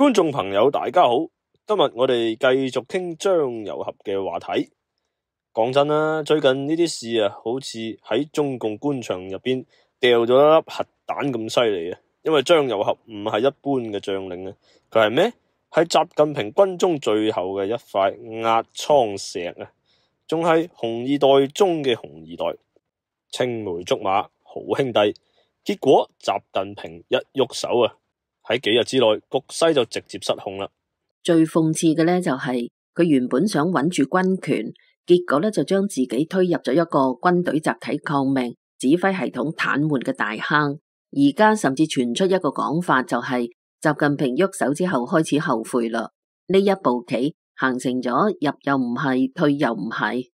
觀眾朋友大家好，今日我哋繼續傾張又俠嘅話題。講真啦，最近呢啲事啊，好似喺中共官場入邊掉咗一粒核彈咁犀利啊！因為張又俠唔係一般嘅將領啊，佢係咩？係習近平軍中最後嘅一塊壓艙石啊，仲係紅二代中嘅紅二代，青梅竹馬好兄弟。結果習近平一喐手啊，喺幾日之內局勢就直接失控啦。最諷刺嘅呢，就係佢原本想穩住軍權，結果呢就將自己推入咗一個軍隊集體抗命、指揮系統癱瘓嘅大坑。而家甚至傳出一個講法，就係習近平喐手之後開始後悔啦。呢一步棋行成咗，入又唔係，退又唔係。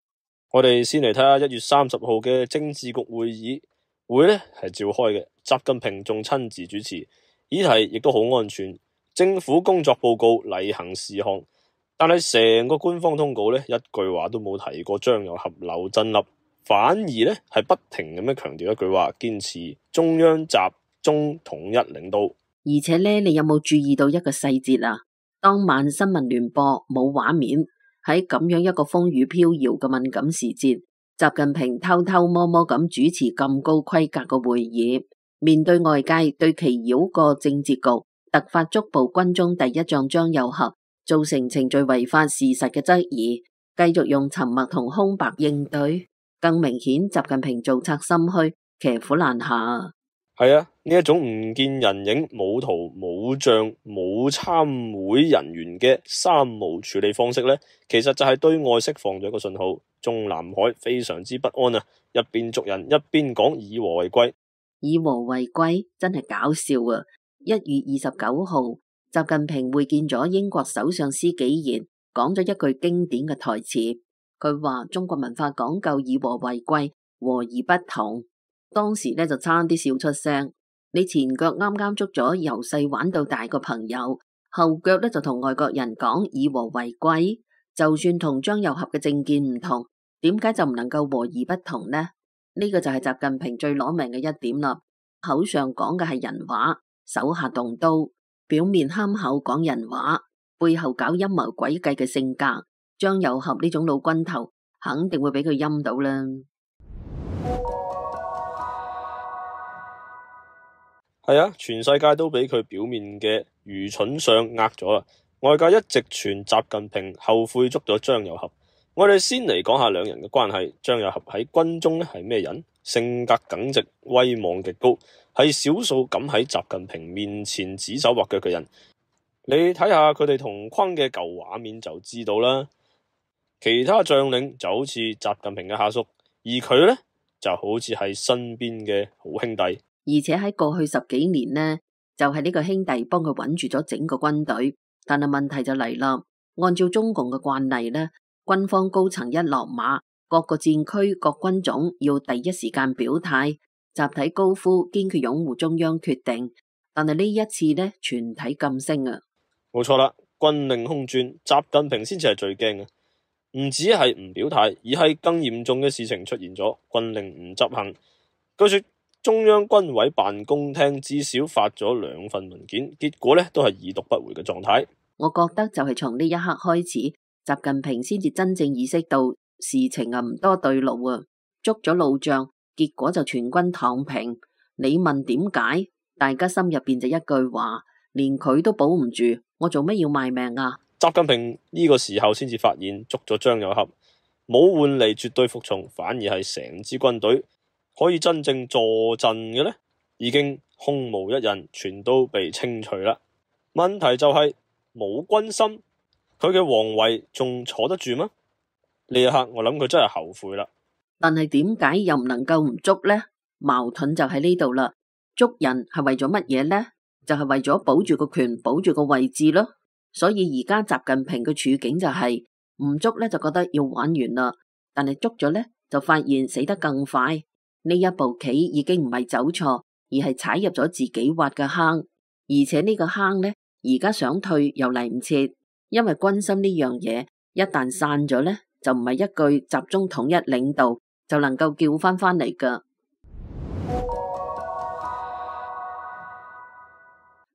我哋先嚟睇下1月30號嘅政治局會議，會呢係召開嘅，習近平仲親自主持，議題亦都好安全，政府工作報告例行事項。但係成個官方通告呢，一句話都冇提過張又俠、劉振立，反而呢係不停咁樣強調一句話，堅持中央集中統一領導。而且呢，你有冇注意到一個細節啊？當晚新聞聯播冇畫面，喺咁樣一個風雨飄搖嘅敏感時節，習近平偷偷摸摸咁主持咁高規格嘅會議，面對外界對其繞過政治局、突發捉捕軍中第一將張又俠，造成程序違法事實嘅質疑，繼續用沉默同空白應對，更明顯習近平造賊心虛，騎虎難下。係啊，呢一種唔見人影、冇圖冇像冇參會人員嘅三無處理方式呢，其實就係對外釋放咗一個信號，中南海非常之不安啊！一邊捉人，一邊講以和為貴，以和為貴真係搞笑啊！1月29號，習近平會見咗英國首相施紀賢，講咗一句經典嘅台詞，佢話中國文化講究以和為貴，和而不同。當時呢就差啲笑出聲。你前腳啱啱捉咗由細玩到大個朋友，後腳呢就同外國人講以和為貴，就算同張又俠嘅政見唔同，點解就唔能夠和而不同呢？呢個就係習近平最攞命嘅一點啦。口上講嘅係人話，手下動刀，表面憨厚講人話，背後搞陰謀詭計嘅性格，張又俠呢種老軍頭肯定會俾佢陰到啦。係啊，全世界都俾佢表面嘅愚蠢相呃咗啦。外界一直傳習近平後悔捉咗張又俠。我哋先嚟講下兩人嘅關係。張又俠喺軍中咧係咩人？性格耿直，威望極高，係少數敢喺習近平面前指手畫腳嘅人。你睇下佢哋同框嘅舊畫面就知道啦。其他將領就好似習近平嘅下屬，而佢呢就好似係身邊嘅好兄弟。而且喺過去10幾年呢，就係呢個兄弟幫佢穩住咗整個軍隊。但係問題就嚟啦，按照中共嘅慣例呢，軍方高層一落馬，各個戰區各軍種要第一時間表態，集體高呼堅決擁護中央決定。但係呢一次呢，全體噤聲啊！冇錯啦，軍令空轉，習近平先至係最驚嘅，唔止係唔表態，而係更嚴重嘅事情出現咗，軍令唔執行。據說中央軍委辦公廳至少發咗2份文件，結果呢都係已讀不回嘅狀態。我覺得就係從呢一刻開始，習近平先至真正意識到事情啊唔多對路啊，捉咗老將，結果就全軍躺平。你問點解？大家心入邊就一句話，連佢都保唔住，我做乜要賣命啊？習近平呢個時候先至發現捉咗張又俠，冇換嚟絕對服從，反而係成支軍隊可以真正坐鎮嘅呢，已經空無一人，全都被清除啦。問題就係冇軍心，佢嘅皇位仲坐得住嗎？呢一刻我諗佢真係後悔啦。但係點解又唔能夠唔捉呢？矛盾就喺呢度啦。捉人係為咗乜嘢呢？就係為咗保住個權，保住個位置咯。所以而家習近平嘅處境就係唔捉呢，就覺得要玩完啦，但係捉咗呢，就發現死得更快。呢一步棋已經唔係走錯，而係踩入咗自己挖嘅坑，而且呢個坑呢，而家想退又嚟唔切，因為軍心呢樣嘢一旦散咗呢，就唔係一句集中統一領導就能夠叫翻嚟噶。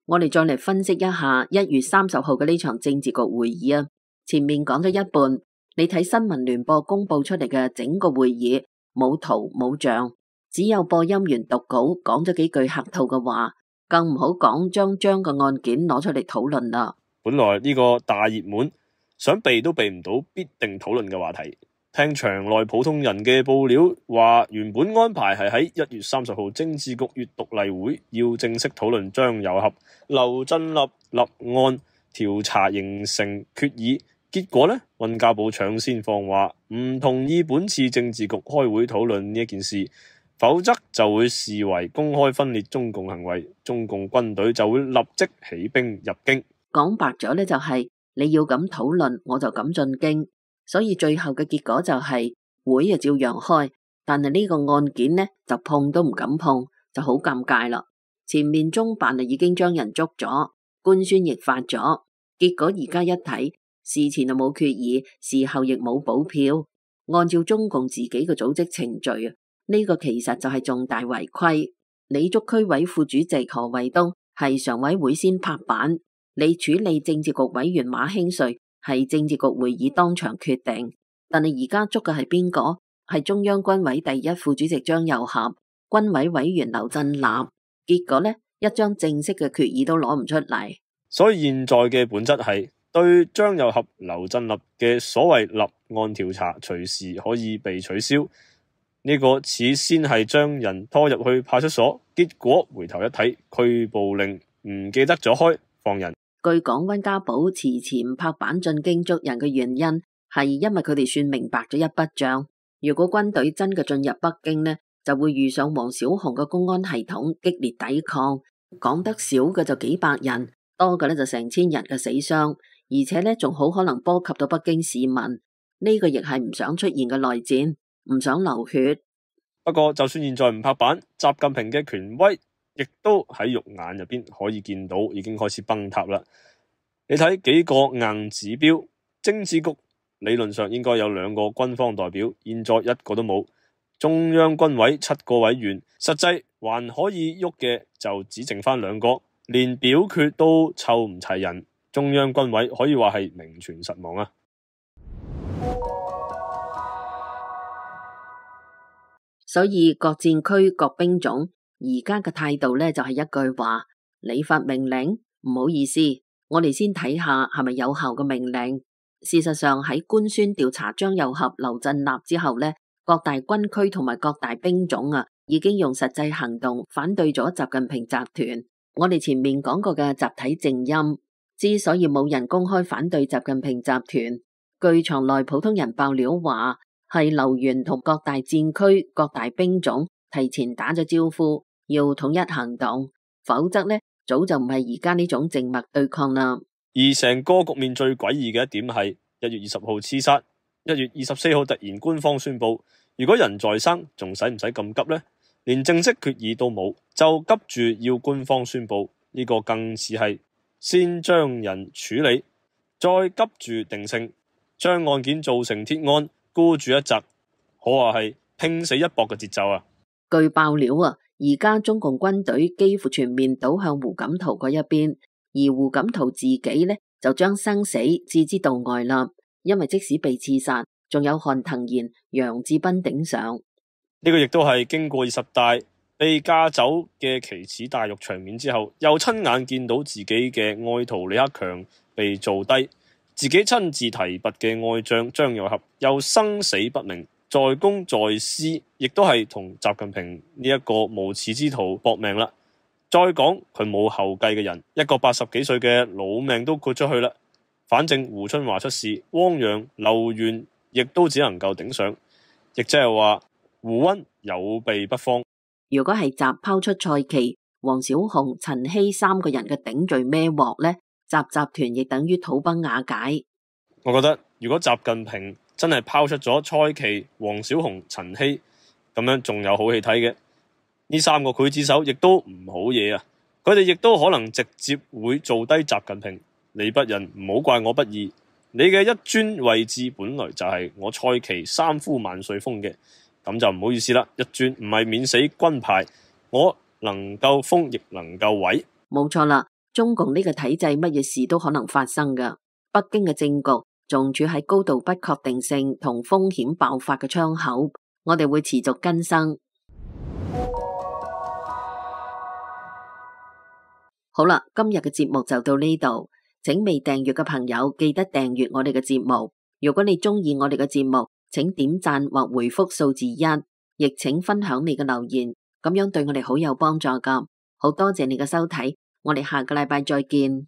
我哋再嚟分析一下1月30號嘅呢場政治局會議啊。前面講咗一半，你睇新聞聯播公布出嚟嘅整個會議，冇圖冇像，只有播音員讀稿講咗幾句客套嘅話，更唔好講將嘅案件攞出嚟討論啦。本來呢個大熱門，想避都避唔到必定討論嘅話題。聽場內普通人嘅報料話，原本安排係喺1月30號政治局閱讀例會要正式討論張又俠、劉振立立案調查形成決議，結果呢，溫家寶搶先放話唔同意本次政治局開會討論呢一件事，否則就會視為公開分裂中共行為，中共軍隊就會立即起兵入京。講白咗呢，就係你要咁討論，我就咁進京。所以最後嘅結果就係會啊照樣開，但係呢個案件呢就碰都唔敢碰，就好尷尬啦。前面中辦啊已經將人捉咗，官宣亦發咗，結果而家一睇，事前就冇決議，事後亦冇補票，按照中共自己嘅組織程序啊，呢個其實就係重大違規。你捉區委副主席何衛東係常委會先拍板，你處理政治局委員馬興瑞係政治局會議當場決定，但係而家捉嘅係邊個？係中央軍委第一副主席張又俠、軍委委員劉振立，結果呢，一張正式嘅決議都攞唔出嚟。所以現在嘅本質係對張又俠、劉振立嘅所謂立案調查隨時可以被取消，呢個似先係將人拖入去派出所，結果回頭一睇拘捕令唔記得咗開放人。據講，溫家寶遲遲唔拍板進京捉人嘅原因係因為佢哋算明白咗一筆賬，如果軍隊真嘅進入北京呢，就會遇上黃小紅嘅公安系統激烈抵抗，講得少嘅就幾百人，多嘅呢就成千人嘅死傷，而且呢仲好可能波及到北京市民，呢個亦係唔想出現嘅內戰，唔想流血。不過就算現在唔拍板，習近平嘅權威亦都喺肉眼入邊可以見到，已經開始崩塌啦。你睇幾個硬指標，政治局理論上應該有2個軍方代表，現在1個都冇。中央軍委7個委員，實際還可以喐嘅就只剩翻2個，連表決都湊唔齊人。中央軍委可以話係名存實亡啊！所以各戰區各兵種而家嘅態度呢，就係一句話：你發命令，唔好意思，我哋先睇下係咪有效嘅命令。事實上喺官宣調查張又俠、劉振立之後呢，各大軍區同埋各大兵種啊，已經用實際行動反對咗習近平集團。我哋前面講過嘅集體靜音，之所以冇人公開反對習近平集團，據場內普通人爆料話，係劉源同各大戰區、各大兵種提前打咗招呼，要統一行動，否則呢，早就唔係而家呢種靜默對抗啦。而成個局面最詭異嘅一點係1月20號刺殺，1月24號突然官方宣布，如果人在生，仲使唔使咁急呢？連正式決議都冇，就急住要官方宣布，呢個更似係先將人處理，再急住定性，將案件做成鐵案，孤注一擲，可話係拼死一搏嘅節奏啊！據爆料啊，而家中共軍隊幾乎全面倒向胡錦濤嗰一邊，而胡錦濤自己呢，就將生死置之度外啦。因為即使被刺殺，仲有韓騰賢、楊志斌頂上。呢個亦都係經過20大被架走嘅奇恥大辱場面之後，又親眼見到自己嘅愛徒李克強被做低，自己親自提拔嘅愛將張又俠又生死不明，在公在私，亦都係同習近平呢一個無恥之徒搏命啦。再講佢冇後繼嘅人，一個80幾歲嘅老命都豁出去啦。反正胡春華出事，汪洋、劉源亦都只能夠頂上，亦即係話胡溫有備不慌。如果係習拋出蔡奇、黃小紅、陳希3個人嘅頂罪孭鑊呢，習集團亦等於土崩瓦解。我覺得如果習近平真係拋出咗蔡奇、黃小紅、陳希，咁樣仲有好戲睇嘅。呢3個劊子手亦都唔好嘢啊！佢哋亦都可能直接會做低習近平。你不仁，唔好怪我不義。你嘅一尊位置本來就係我蔡奇3呼萬歲封嘅，咁就唔好意思啦。一尊唔係免死軍牌，我能夠封亦能夠毀。冇錯啦，中共呢個體制乜嘢事都可能發生㗎。北京嘅政局仲處喺高度不確定性同風險爆發嘅窗口，我哋會持續更新。好啦，今日嘅節目就到呢度，請未訂閱嘅朋友記得訂閱我哋嘅節目。如果你中意我哋嘅節目，請點讚或回覆數字1，亦請分享你嘅留言，咁樣對我哋好有幫助㗎。好多謝你嘅收睇，我哋下個禮拜再見。